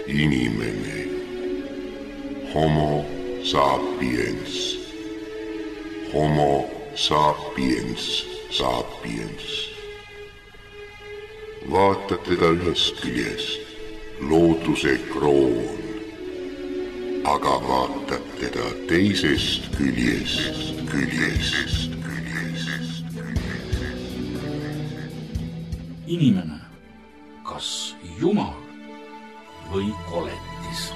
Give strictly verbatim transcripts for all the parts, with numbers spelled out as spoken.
Inimene. Homo sapiens. Homo sapiens sapiens. Vaatad teda ühest küljest, looduse kroon, aga vaatad teda teisest küljest, küljest, küljest. Inimene, kas Jumal või koletis?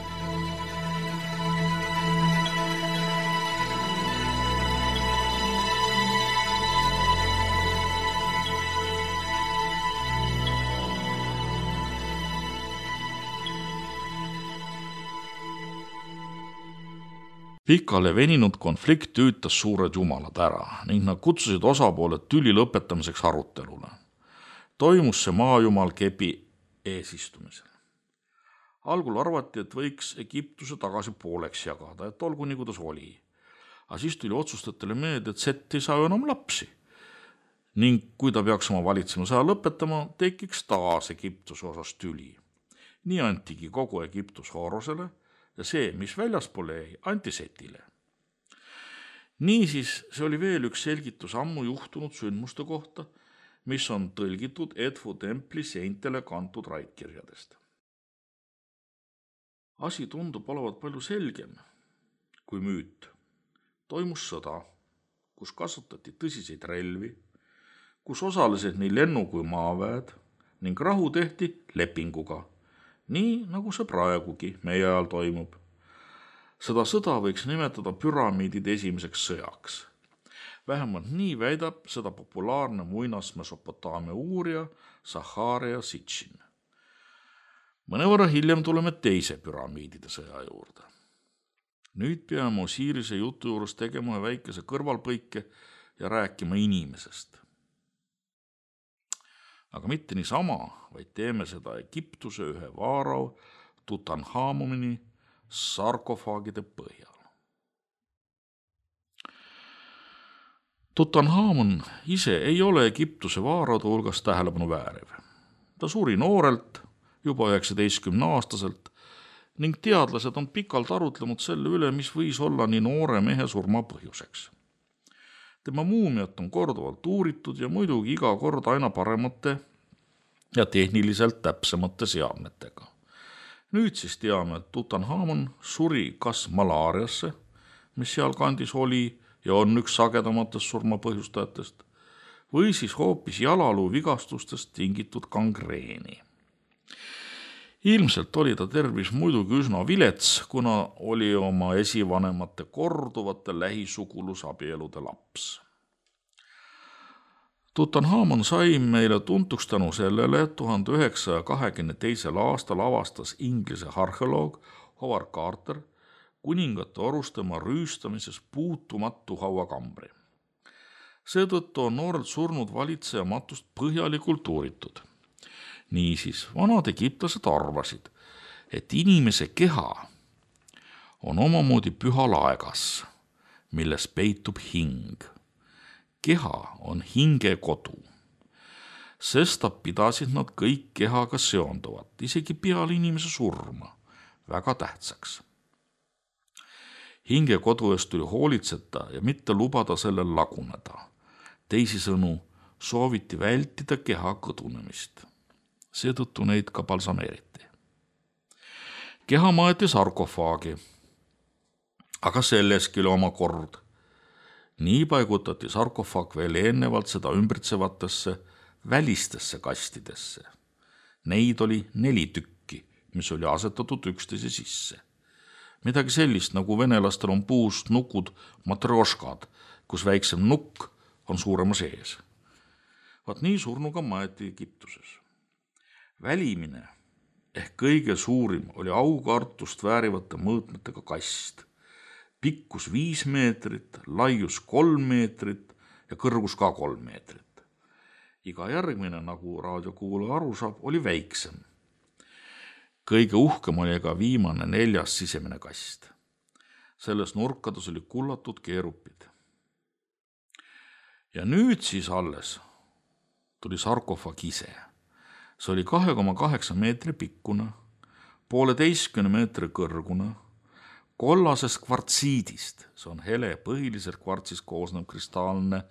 Pikale veninud konflikt tüütas suured jumalad ära ning nad kutsusid osapooled tüli lõpetamiseks arutelule. Toimus see maajumal Kebi eesistumisel. Algul arvati, et võiks Egiptuse tagasi pooleks jagada, et olgu nii, kuidas oli. Aga siis tuli otsustajatele meelde, et Set ei saa enam lapsi. Ning kui ta peaks oma valitsemisaja lõpetama, tekiks taas Egiptuse osas tüli. Nii antigi kogu Egiptus Horosele ja see, mis väljaspool jäi, anti Setile. Niisiis, see oli veel üks selgitus ammu juhtunud sündmuste kohta, mis on tõlgitud Edfu templi seintele kantud raitkirjadest. Asi tundub olevat palju selgem kui müüt. Toimus sõda, kus kasutati tõsiseid relvi, kus osalesid nii lennu- kui maaväed ning rahu tehti lepinguga, nii nagu see praegugi meie ajal toimub. Seda sõda võiks nimetada püramiidide esimeseks sõjaks. Vähemalt nii väidab seda populaarne muinas Mesopotaamia uurija Zaharia Sitchin. Mõnevõrra hiljem tuleme teise püramiidide sõja juurde. Nüüd peame Osirise jutu juures tegema väikese kõrvalpõike ja rääkima inimesest. Aga mitte niisama, vaid teeme seda Egiptuse ühe vaarao Tutanhamoni sarkofaagide põhjal. Tutanhamon ise ei ole Egiptuse vaaraude hulgas tähelepanu vääriv. Ta suri noorelt, juba üheksateistkümne aastaselt, ning teadlased on pikalt arutlenud selle üle, mis võis olla nii noore mehe surma põhjuseks. Tema muumiat on korduvalt uuritud ja muidugi iga kord aina paremate ja tehniliselt täpsemate seadmetega. Nüüd siis teame, et Tutanhamon suri kas malaariasse, mis seal kandis oli ja on üks sagedamatest surmapõhjustajatest, või siis hoopis jalaluu vigastustest tingitud gangreeni. Ilmselt oli ta tervis muidugi üsna vilets, kuna oli oma esivanemate korduvate lähisugulusabielude laps. Tutanhamon sai meile tuntuks tänu sellele, et tuhande üheksasaja kahekümne teisel aastal avastas Inglise arheoloog Howard Carter kuningate orustema rüüstamises puutumatu hauakambri. Seetõttu on noorelt surnud valitseja matust põhjalikult uuritud. Niisiis, vanad egiptlased arvasid, et inimese keha on omamoodi püha laegas, milles peitub hing. Keha on hinge kodu. Sestap pidasid nad kõik kehaga seonduvat, isegi peale inimese surma, väga tähtsaks. Hinge kodu eest tuli hoolitseta ja mitte lubada sellel laguneda. Teisisõnu sooviti vältida keha kõdunemist. Seetõttu neid ka balsameeriti. Keha maeti sarkofaagi, aga selleski oli oma kord. Nii paigutati sarkofaag veel ennevalt seda ümbritsevatesse välistesse kastidesse. Neid oli neli tükki, mis oli asetatud üksteise sisse. Midagi sellist, nagu venelastel on puust nukud matrjoškad, kus väiksem nukk on suurema sees. Vaat nii surnuga maeti Egiptuses. Välimine ehk kõige suurim oli aukartust väärivate mõõtmetega kast. Pikkus viis meetrit, laius kolm meetrit ja kõrgus ka kolm meetrit. Iga järgmine, nagu raadiokuulaja aru saab, oli väiksem. Kõige uhkem oli ka viimane neljas sisemine kast. Selles nurkades oli kullatud keerupid. Ja nüüd siis alles tuli sarkofaag ise. See oli kahe koma kaheksa meetri pikkune, pooleteistkümne meetri kõrgune, kollasest kvartsiidist, see on hele, põhiliselt kvartsist koosnev kristaalne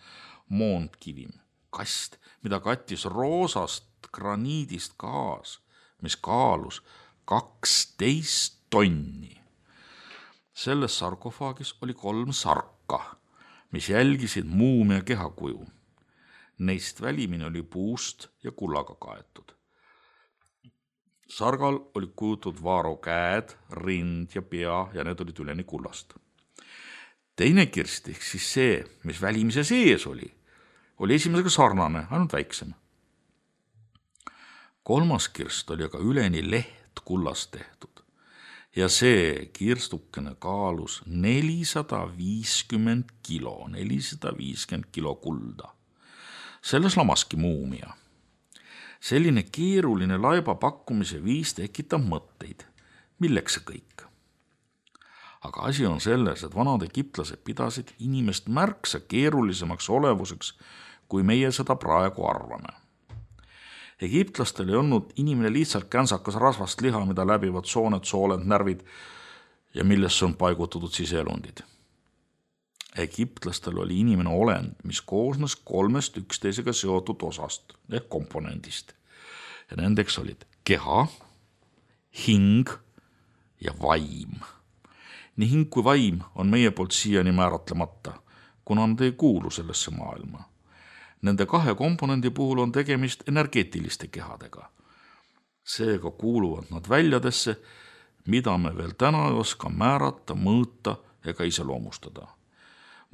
moonkivim, kast, mida kattis roosast graniidist kaas, mis kaalus kaksteist tonni. Selles sarkofaagis oli kolm sarka, mis jälgisid muumia kehakuju. Neist välimine oli puust ja kullaga kaetud. Sargal oli kujutud Vaaro käed, rind ja pea ja need olid üleni kullast. Teine kirst, ehk siis see, mis välimise sees oli, oli esimesega sarnane, ainult väiksem. Kolmas kirst oli aga üleni leht kullast tehtud ja see kirstukene kaalus nelisada viiskümmend kilo, nelisada viiskümmend kilo kulda. Selles lamaski muumia. Selline keeruline laiba pakkumise viis tekitab mõtteid. Milleks see kõik? Aga asi on selles, et vanad egiptlased pidasid inimest märksa keerulisemaks olevuseks, kui meie seda praegu arvame. Egiptlastel ei olnud inimene lihtsalt känsakas rasvast liha, mida läbivad sooned, sooled, närvid ja millesse on paigutatud siseelundid. Egiptlastel oli inimene olend, mis koosnes kolmest üksteisega seotud osast ehk komponendist. Ja nendeks olid keha, hing ja vaim. Nii hing kui vaim on meie poolt siiani määratlemata, kuna nad ei kuulu sellesse maailma. Nende kahe komponendi puhul on tegemist energeetiliste kehadega. Seega kuuluvad nad väljadesse, mida me veel täna ei oska määrata, mõõta ega iseloomustada.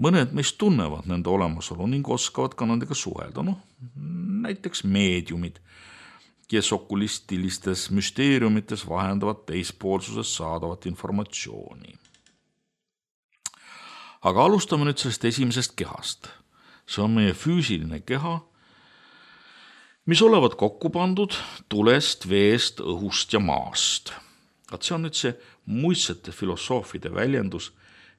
Mõned meist tunnevad nende olemasolu ning oskavad ka nendega suhelda, noh, näiteks meediumid, kes okulistilistes müsteeriumites vahendavad teispoolsusest saadavat informatsiooni. Aga alustame nüüd sellest esimesest kehast. See on meie füüsiline keha, mis olevat kokku pandud tulest, veest, õhust ja maast. Et see on nüüd see muistsete filosoofide väljendus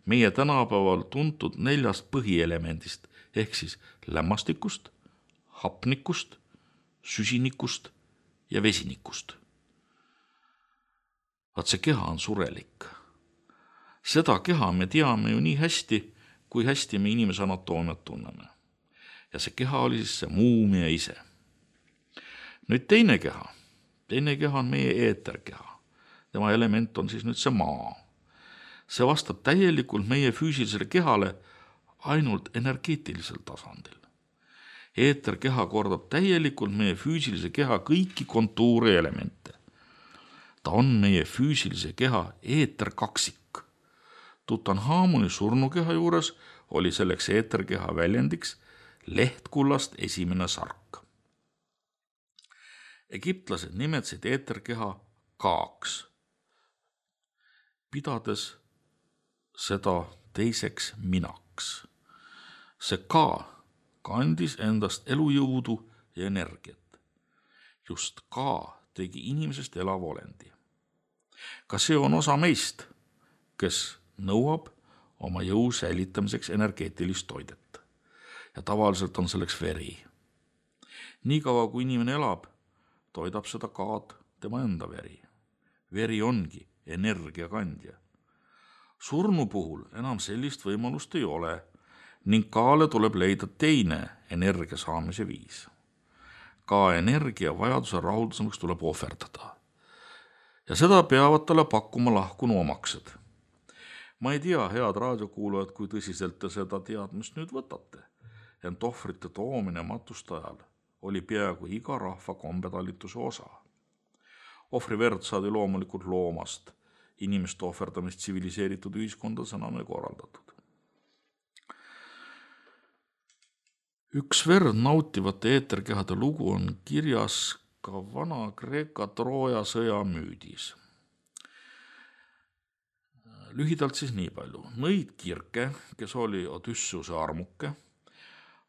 meie tänapäeval tuntud neljast põhielemendist, ehk siis lämmastikust, hapnikust, süsinikust ja vesinikust. Vaat see keha on surelik. Seda keha me teame ju nii hästi, kui hästi me inimese anatoomiat tunneme. Ja see keha oli siis see muumia ise. Nüüd teine keha. Teine keha on meie eeterkeha. Tema element on siis nüüd see maa. See vastab täielikult meie füüsilisele kehale ainult energeetilisel tasandil. Eeterkeha kordab täielikult meie füüsilise keha kõiki kontuuri elemente. Ta on meie füüsilise keha eeterkaksik. Tutanhamoni surnukeha juures oli selleks eeterkeha väljendiks lehtkullast esimene sark. Egiptlased nimetasid eeterkeha kaaks, pidades seda teiseks minaks. See ka kandis endast elujõudu ja energiat. Just ka tegi inimesest elava olendi. Ka see on osa meist, kes nõuab oma jõu säilitamiseks energeetilist toidet. Ja tavaliselt on selleks veri. Nii kaua, kui inimene elab, toidab seda kaad tema enda veri. Veri ongi energiakandja. Surnu puhul enam sellist võimalust ei ole ning kaale tuleb leida teine energia saamise viis. Ka energia vajaduse rahulduseks tuleb ohverdada. Ja seda peavad talle pakkuma lahkunu omaksed. Ma ei tea, head raadiokuulajad, kui tõsiselt te seda teadmist nüüd võtate. Ent ohvrite toomine matustajal oli peaaegu iga rahva kombetalituse osa. Ohvri verd saadi loomulikult loomast. Inimeste ohverdamist tsiviliseeritud ühiskondas enam ei korraldatud. Üks verd nautivate eeterkehade lugu on kirjas ka vana Kreeka Trooja sõja müüdis. Lühidalt siis nii palju. Nõid Kirke, kes oli Odysseuse armuke,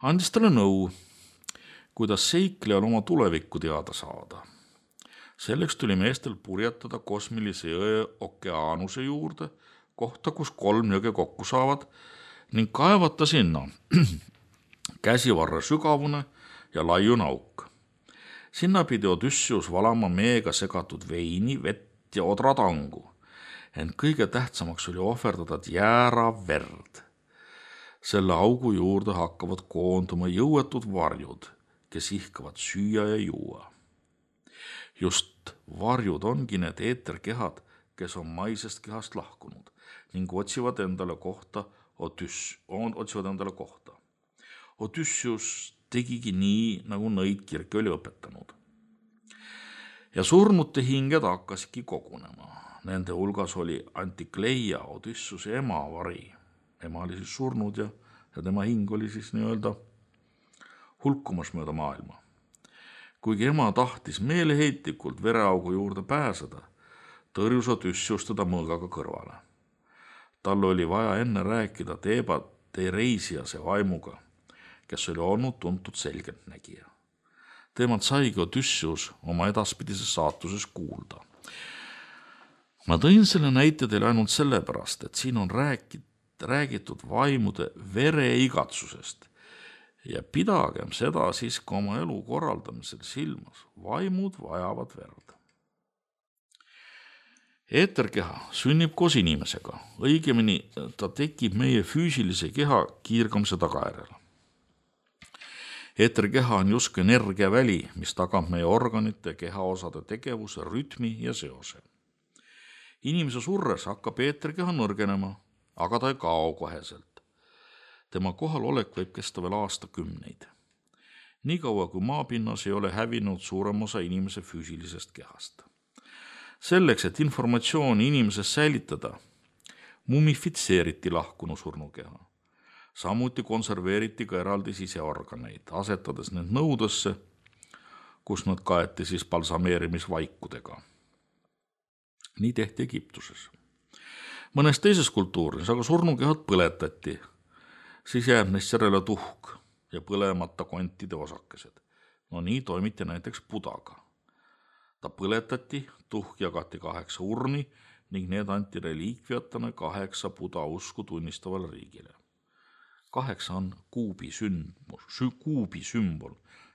andis talle nõu, kuidas seiklejal oma tulevikku teada saada. Selleks tuli meestel purjetada kosmilise jõe okeaanuse juurde, kohta, kus kolm jõge kokku saavad, ning kaevata sinna käsivarre sügavune ja laiu nauk. Sinna pidi Odysseus valama meega segatud veini, vett ja odratangu, ent kõige tähtsamaks oli ohverdada jäära verd. Selle augu juurde hakkavad koonduma jõuetud varjud, kes ihkavad süüa ja juua. Just varjud ongi need eeterkehad, kes on maisest kehast lahkunud ning otsivad endale kohta Odüss, on, otsivad endale kohta. Odüssius tegigi nii, nagu Nõid Kirke oli õpetanud. Ja surnute hinged hakkasidki kogunema. Nende hulgas oli Antikleia, Odüssuse ema vari. Ema oli siis surnud ja, ja tema hing oli siis nii-öelda hulkumas mööda maailma. Kuigi ema tahtis meeleheitlikult vereaugu juurde pääseda, tõrjus Odüssius teda mõõgaga kõrvale. Tal oli vaja enne rääkida Teeba Tereisiase vaimuga, kes oli olnud tuntud selgeltnägija. Teemalt saigi Odüssius oma edaspidises saatuses kuulda. Ma tõin selle näite teile ainult sellepärast, et siin on räägit, räägitud vaimude vereigatsusest ja pidagem seda siis ka oma elu korraldamisel silmas. Vaimud vajavad verd. Eeterkeha sünnib koos inimesega, õigemini ta tekib meie füüsilise keha kiirgamise tagajärjel. Eeterkeha on justkui energiaväli, mis tagab meie organite kehaosade tegevuse, rütmi ja seose. Inimese surres hakkab eeterkeha nõrgenema, aga ta ei kao koheselt. Tema kohalolek võib kesta veel aastakümneid. Nii kaua kui maapinnas ei ole hävinud suurem osa inimese füüsilisest kehast. Selleks, et informatsiooni inimesest säilitada, mumifitseeriti lahkunu surnukeha. Samuti konserveeriti ka eraldi siseorganeid, asetades need nõudesse, kus nad kaeti siis balsameerimisvaikudega. Nii tehti Egiptuses. Mõnes teises kultuuris aga surnukehad põletati, siis jääb neist järele tuhk ja põlemata kontide osakesed. No nii toimiti näiteks Budaga. Ta põletati, tuhk jagati kaheksa urni ning need anti reliikviatana kaheksa Buda usku tunnistavale riigile. Kaheksa on kuubi, sümbol, kuubi sümbol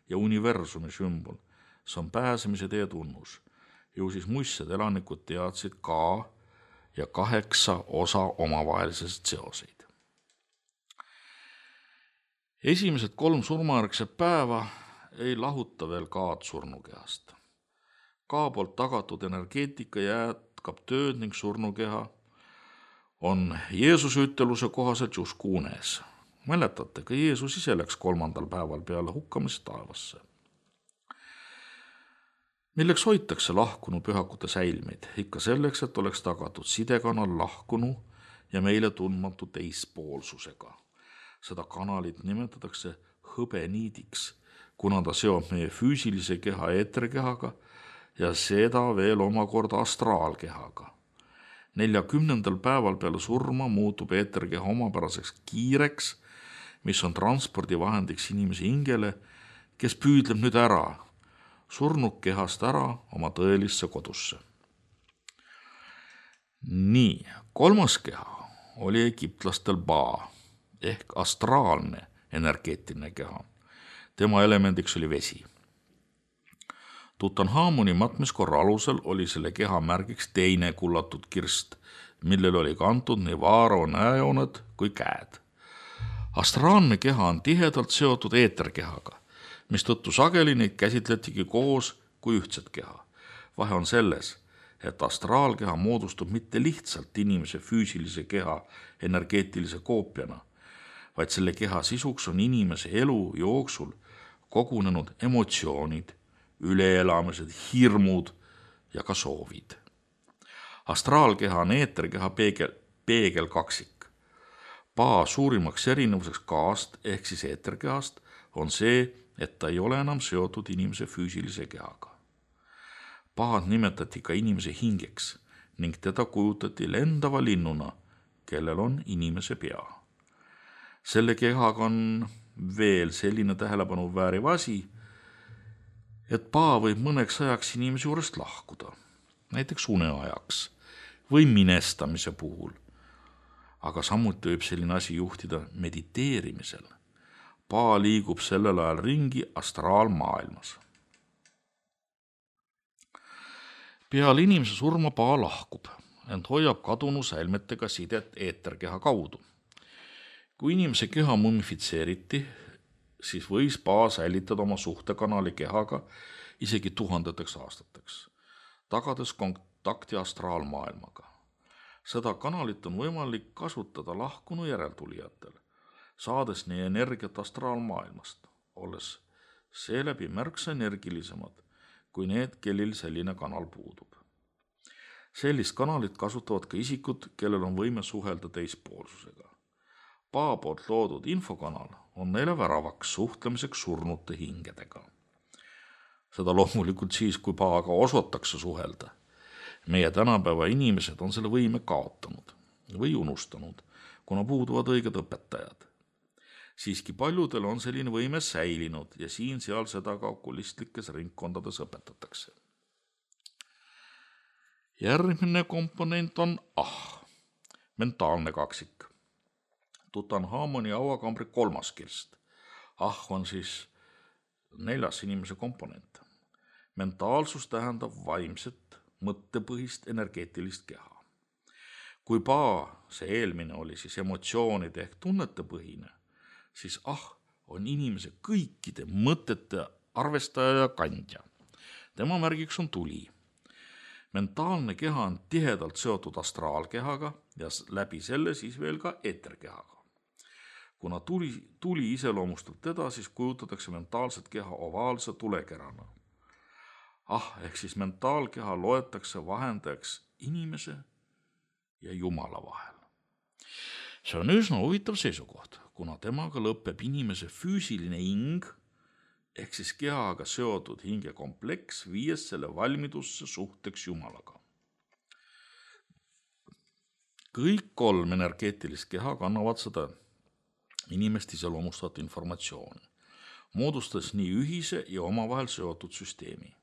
ja universumi sümbol. See on pääsemise tee tunnus. Ju siis muistsed elanikud teadsid ka ja kaheksa osa omavahelisest seoseid. Esimesed kolm surmajärgset päeva ei lahuta veel kaad surnukehast. Ka poolt tagatud energeetika jätkab tööd ning surnukeha on Jeesuse üteluse kohaselt justkui unes. Mäletate, ka Jeesus ise läks kolmandal päeval peale hukkamist taevasse. Milleks hoitakse lahkunu pühakute säilmeid? Ikka selleks, et oleks tagatud sidekanal lahkunu ja meile tundmatu teispoolsusega. Seda kanalit nimetatakse hõbeniidiks, kuna ta seob meie füüsilise keha eeterkehaga ja seda veel omakorda astraalkehaga. Neljakümnendal päeval peale surma muutub eeterkeha omapäraseks kiireks, mis on transpordivahendiks inimese hingele, kes püüdleb nüüd ära, surnud kehast ära oma tõelisse kodusse. Nii, kolmas keha oli egiptlastel Ba ehk astraalne energeetiline keha. Tema elemendiks oli vesi. Tutanhamoni matmiskorra alusel oli selle keha märgiks teine kullatud kirst, millel oli kantud nii vaaro näejooned kui käed. Astraalne keha on tihedalt seotud eeterkehaga, mistõttu sageli neid käsitletigi koos kui ühtset keha. Vahe on selles, et astraalkeha moodustub mitte lihtsalt inimese füüsilise keha energeetilise koopiana, vaid selle keha sisuks on inimese elu jooksul kogunenud emotsioonid, üleelamised, hirmud ja ka soovid. Astraalkeha on eeterkeha peegel, peegel kaksik. Ba suurimaks erinevuseks kaast ehk siis eeterkehast on see, et ta ei ole enam seotud inimese füüsilise kehaga. Baad nimetati ka inimese hingeks ning teda kujutati lendava linnuna, kellel on inimese pea. Selle kehaga on veel selline tähelepanu vääriv asi, et Ba võib mõneks ajaks inimese juurest lahkuda, näiteks uneajaks või minestamise puhul. Aga samuti võib selline asi juhtida mediteerimisel. Ba liigub sellel ajal ringi astraalmaailmas. Peale inimese surma paa lahkub, ent hoiab kadunu säilmetega sidet eeterkeha kaudu. Kui inimese keha mummifitseeriti, siis võis paa säilitada oma suhtekanali kehaga isegi tuhandeteks aastateks, tagades kontakti astraalmaailmaga. Seda kanalit on võimalik kasutada lahkunu järeltulijatel, saades nii energiat astraalmaailmast, olles seeläbi märksa energilisemad kui need, kellel selline kanal puudub. Sellist kanalit kasutavad ka isikud, kellel on võime suhelda teispoolsusega. Paa poolt loodud infokanal on neile väravaks suhtlemiseks surnute hingedega. Seda loomulikult siis, kui paaga osatakse suhelda. Meie tänapäeva inimesed on selle võime kaotanud või unustanud, kuna puuduvad õiged õpetajad. Siiski paljudel on selline võime säilinud ja siin-seal seda ka okulistlikes ringkondades õpetatakse. Järgmine komponent on ah, mentaalne kaksik. Tutanhamoni hauakambri kolmas kirst. Ah on siis neljas inimese komponent. Mentaalsus tähendab vaimset, mõttepõhist energeetilist keha. Kui paa, see eelmine oli siis emotsioonide ehk tunnetepõhine, siis ah on inimese kõikide mõtete arvestaja ja kandja. Tema märgiks on tuli. Mentaalne keha on tihedalt seotud astraalkehaga ja läbi selle siis veel ka eeterkehaga. Kuna tuli, tuli iseloomustab teda, siis kujutatakse mentaalset keha ovaalse tulekerana. Ah, ehk siis mentaalkeha loetakse vahendajaks inimese ja Jumala vahel. See on üsna huvitav seisukoht, kuna temaga lõpeb inimese füüsiline hing, ehk siis kehaga seotud hingekompleks, viies selle valmidusse suhteks Jumalaga. Kõik kolm energeetilist keha kannavad seda inimest iseloomustavat informatsiooni, moodustades nii ühise ja omavahel seotud süsteemi.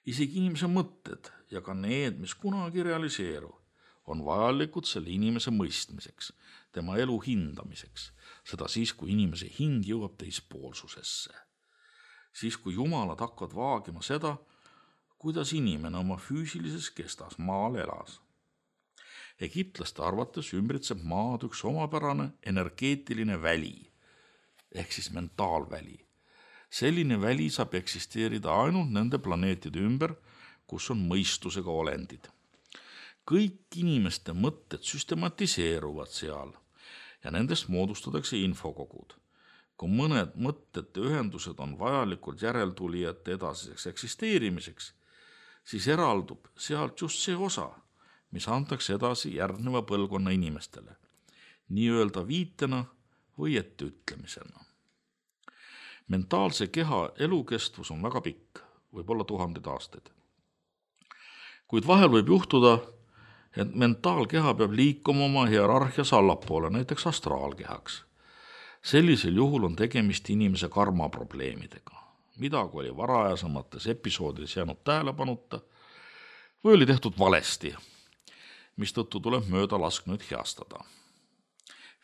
Isegi inimese mõtted ja ka need, mis kunagi realiseeru, on vajalikud selle inimese mõistmiseks, tema elu hindamiseks, seda siis, kui inimese hing jõuab teispoolsusesse. Siis, kui jumalad hakkavad vaagima seda, kuidas inimene oma füüsilises kestas maal elas. Egiptlaste arvates ümbritseb maad üks omapärane energeetiline väli, ehk siis mentaalväli. Selline väli saab eksisteerida ainult nende planeetide ümber, kus on mõistusega olendid. Kõik inimeste mõtted süstematiseeruvad seal ja nendest moodustatakse infokogud. Kui mõned mõtete ühendused on vajalikud järeltulijate edasiseks eksisteerimiseks, siis eraldub sealt just see osa, mis antakse edasi järgneva põlvkonna inimestele, nii-öelda viitena või etteütlemisena. Mentaalse keha elukestvus on väga pikk, võib olla tuhanded aastaid. Kuid vahel võib juhtuda, et mentaalkeha peab liikuma oma hierarhias allapoole, näiteks astraalkehaks. Sellisel juhul on tegemist inimese karmaprobleemidega, midagi oli varajasemates episoodides jäänud tähelepanuta või oli tehtud valesti, mistõttu tuleb mööda lasknud heastada.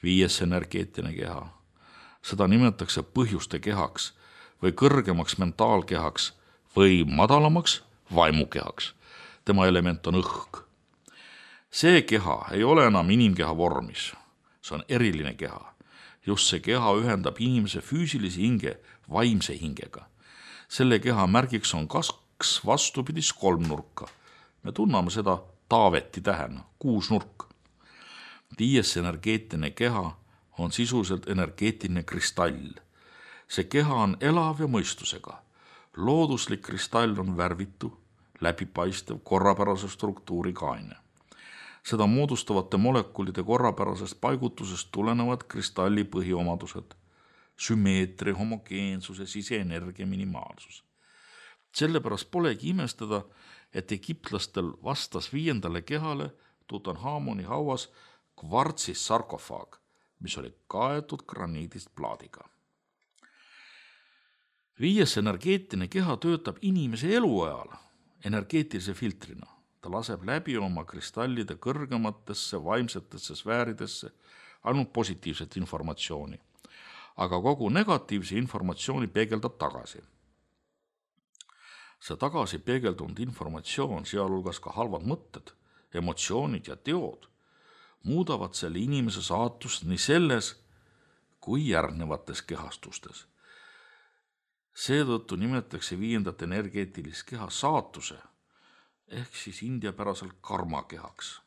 Viies energeetiline keha, seda nimetatakse põhjuste kehaks või kõrgemaks mentaalkehaks või madalamaks vaimukehaks. Tema element on õhk. See keha ei ole enam inimkeha vormis, see on eriline keha. Just see keha ühendab inimese füüsilise hinge vaimse hingega. Selle keha märgiks on kaks vastupidis kolmnurka. Me tunname seda Taaveti tähena, kuusnurk. Viies energeetiline keha on sisuliselt energeetiline kristall. See keha on elav ja mõistusega. Looduslik kristall on värvitu, läbipaistev, korrapärase struktuuriga aine. Seda moodustavate molekulide korrapärasest paigutusest tulenevad kristalli põhiomadused, sümmeetria, homogeensus ja siseenergia minimaalsus. Sellepärast polegi imestada, et egiptlastel vastas viiendale kehale Tutanhamoni hauas kvartsis sarkofaag, mis oli kaetud graniidist plaadiga. Viies energeetiline keha töötab inimese eluajal energeetilise filtrina. Ta laseb läbi oma kristallide kõrgematesse vaimsetesse sfääridesse ainult positiivset informatsiooni, aga kogu negatiivse informatsiooni peegeldab tagasi. See tagasi peegeldunud informatsioon, sealhulgas ka halvad mõtted, emotsioonid ja teod, muudavad selle inimese saatust nii selles kui järgnevates kehastustes. Seetõttu nimetatakse viiendat energeetilist keha saatuse ehk siis indiapäraselt karmakehaks.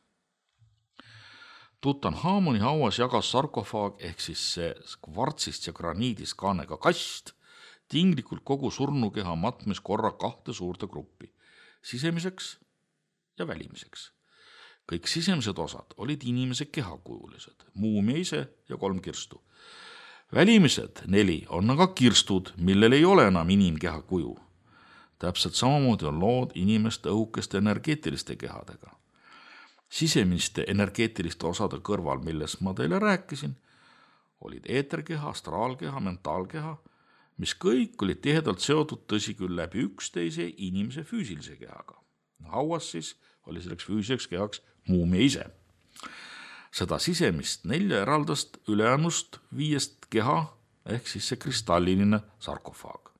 Tutanhamoni hauas jagas sarkofaag ehk siis see kvartsist ja graniidist kaanega kast tinglikult kogu surnukeha matmis korra kahte suurte gruppi, sisemiseks ja välimiseks. Kõik sisemised osad olid inimese kehakujulised, muumia ise ja kolm kirstu. Välimised neli on aga kirstud, millel ei ole enam inimkeha kuju. Täpselt samamoodi on lood inimeste õhukeste energeetiliste kehadega. Sisemiste energeetiliste osade kõrval, millest ma teile rääkisin, olid eeterkeha, astraalkeha, mentaalkeha, mis kõik olid tihedalt seotud tõsi küll läbi üksteise inimese füüsilise kehaga. Hauas siis oli selleks füüsiliseks kehaks muumia ise. Seda sisemist nelja eraldast ülejäänust viiest keha ehk siis see kristalliline sarkofaag.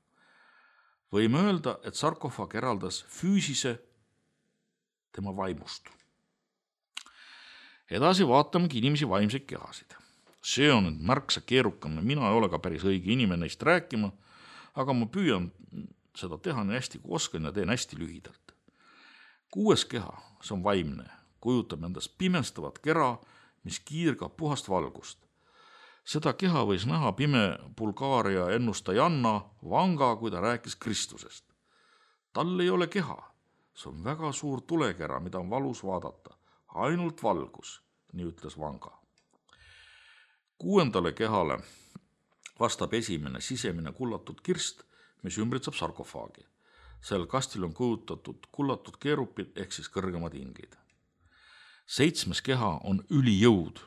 Võime öelda, et sarkofaag eraldas füüsise tema vaimust. Edasi vaatamegi inimesi vaimseid kehasid. See on nüüd märksa keerukam ja mina ei ole ka päris õige inimene neist rääkima, aga ma püüan seda teha nii hästi kui oskan ja teen hästi lühidalt. Kuues keha, see on vaimne, kujutab endast pimestavat kera, mis kiirgab puhast valgust. Seda keha võis näha pime Bulgaaria ennustajanna Vanga, kui ta rääkis Kristusest. Tal ei ole keha, see on väga suur tulekera, mida on valus vaadata, ainult valgus, nii ütles Vanga. Kuuendale kehale vastab esimene sisemine kullatud kirst, mis ümbritseb sarkofaagi. Sel kastil on kujutatud kullatud keerupid ehk siis kõrgemad inglid. Seitsmes keha on ülijõud.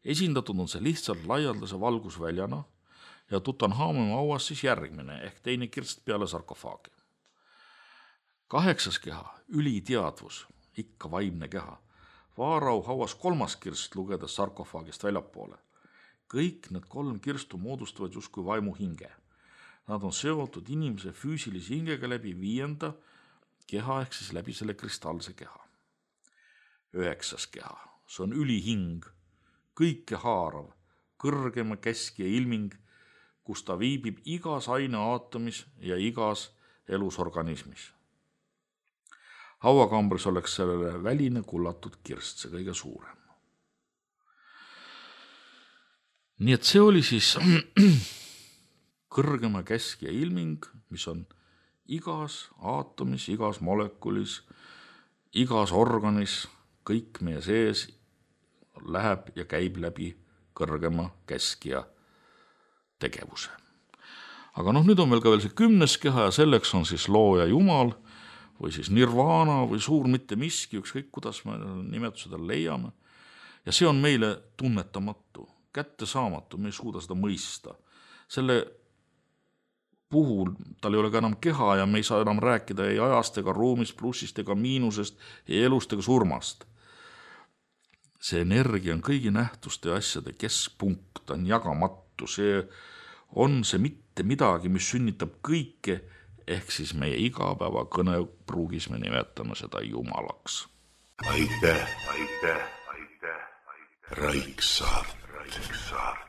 Esindatud on see lihtsalt laialdase valgusväljana ja Tutanhamoni hauas siis järgmine ehk teine kirst peale sarkofaagi. Kaheksas keha, üliteadvus, ikka vaimne keha. Vaarau hauas kolmas kirst lugedes sarkofaagist väljapoole. Kõik need kolm kirstu moodustavad justkui vaimu hinge. Nad on seotud inimese füüsilise hingega läbi viienda keha ehk siis läbi selle kristallse keha. Üheksas keha, see on ülihing, kõike haarav, kõrgema keskja ilming, kus ta viibib igas aine aatomis ja igas elusorganismis. Hauakambris oleks sellele väline kullatud kirst, see kõige suurem. Nii et see oli siis kõrgema keskja ilming, mis on igas aatomis, igas molekulis, igas organis, kõik meie sees läheb ja käib läbi kõrgema keskja tegevuse. Aga noh, nüüd on veel ka veel see kümnes keha ja selleks on siis looja Jumal või siis nirvana või suur mitte miski, ükskõik kuidas me nimetuseda leiame. Ja see on meile tunnetamatu, kätte saamatu, me ei suuda seda mõista. Selle puhul tal ei ole ka enam keha ja me ei saa enam rääkida ei ajast ega ruumist, plussist ega miinusest, ei elust ega surmast. See energia on kõigi nähtuste ja asjade keskpunkt, ta on jagamatu, see on see mitte midagi, mis sünnitab kõike, ehk siis meie igapäeva kõnepruugis me nimetame seda Jumalaks. Aitäh, aitäh, aitäh, aitäh. Raiksaart. Raiksaart.